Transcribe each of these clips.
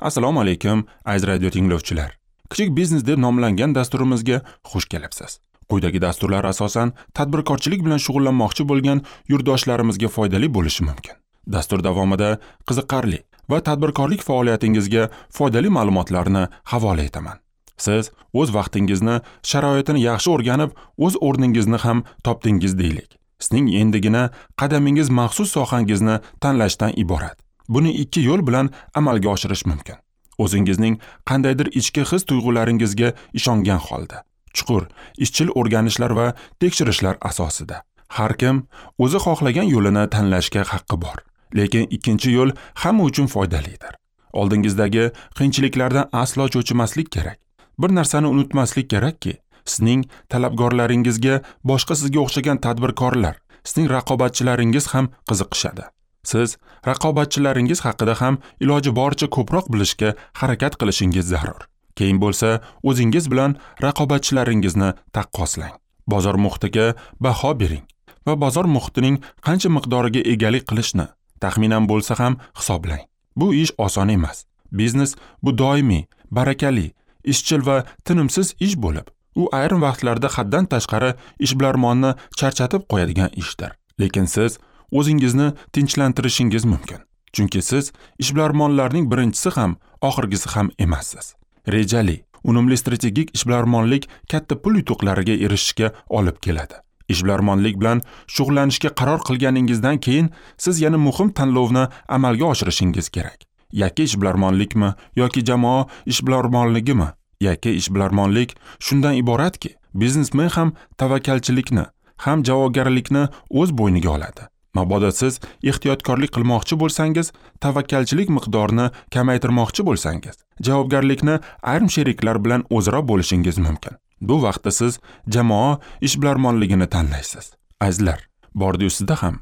Assalomu alaykum, aziz radio tinglovchilar. Kichik biznes deb nomlangan dasturimizga xush kelibsiz. Quyidagi dasturlar asosan tadbirkorchilik bilan shug'ullanmoqchi bo'lgan yurtdoshlarimizga foydali bo'lishi mumkin. Dastur davomida qiziqarli va tadbirkorlik faoliyatingizga foydali ma'lumotlarni havola etaman. Siz o'z vaqtingizni, sharoitini yaxshi o'rganib, o'z o'rningizni ham topdingiz deylik. Sizning endigina qadamingiz maxsus sohangizni tanlashdan iborat. Buni ikki yo'l bilan amalga oshirish mumkin. O'zingizning qandaydir ichki his tuyg'ularingizga ishongan holda, chuqur, izchil o'rganishlar va tekshirishlar asosida. Har kim o'zi xohlagan yo'lini tanlashga haqqi bor. Lekin ikkinchi yo'l hamma uchun foydalidir. Oldingizdagi qiyinchiliklardan aslo cho'chimaslik kerak. Bir narsani unutmaslik kerakki, sizning talabgorlaringizga boshqa sizga o'xshagan tadbirkorlar, sizning raqobatchilaringiz ham qiziqishadi. Siz raqobatchilaringiz haqida ham iloji boricha ko'proq bilishga harakat qilishingiz zarur. Keyin bo'lsa, o'zingiz bilan raqobatchilaringizni taqqoslang. Bozor muhitiga baho bering va bozor muhitining qancha miqdoriga egalik qilishni taxminan bo'lsa ham hisoblang. Bu ish oson emas. Biznes bu doimiy, barakali, izchil va tinimsiz ish bo'lib, u ayrim vaqtlarda haddan tashqari ishbilarmonni charchatib qo'yadigan ishdir. Lekin siz o'zingizni tinchlantirishingiz mumkin. Chunki siz ishbilarmonlarning birinchisi ham, oxirgisi ham emassiz. Rejali, unumli strategik ishbilarmonlik katta pul yutuqlariga erishishga olib keladi. Ishbilarmonlik bilan shug'ullanishga qaror qilganingizdan keyin siz yana muhim tanlovni amalga oshirishingiz kerak. Yakka ishbilarmonlikmi yoki jamoa ishbilarmonligimi? Yakka ishbilarmonlik shundan iboratki, biznesmen ham tavakkalchilikni, ham javobgarlikni o'z bo'yniga oladi. Mabodo siz ehtiyotkorlik qilmoqchi bo'lsangiz, tavakkalchilik miqdorini kamaytirmoqchi bo'lsangiz, javobgarlikni ayrim sheriklar bilan o'zaro bo'lishingiz mumkin. Bu vaqtda siz jamoa ishbilarmonligini tanlaysiz. Azizlar, bordi-yu sizda ham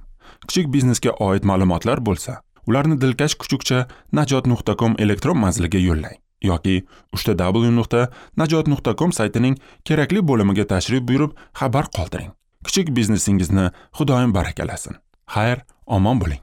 kichik biznesga oid ma'lumotlar bo'lsa, ularni dilkash kuchukcha najot.com elektron manziliga yo'llang yoki www.najot.com saytining kerakli bo'limiga tashrif buyurib xabar qoldiring. Kichik biznesingizni Xudoyim barakalasin. Xayr, omon bo'ling.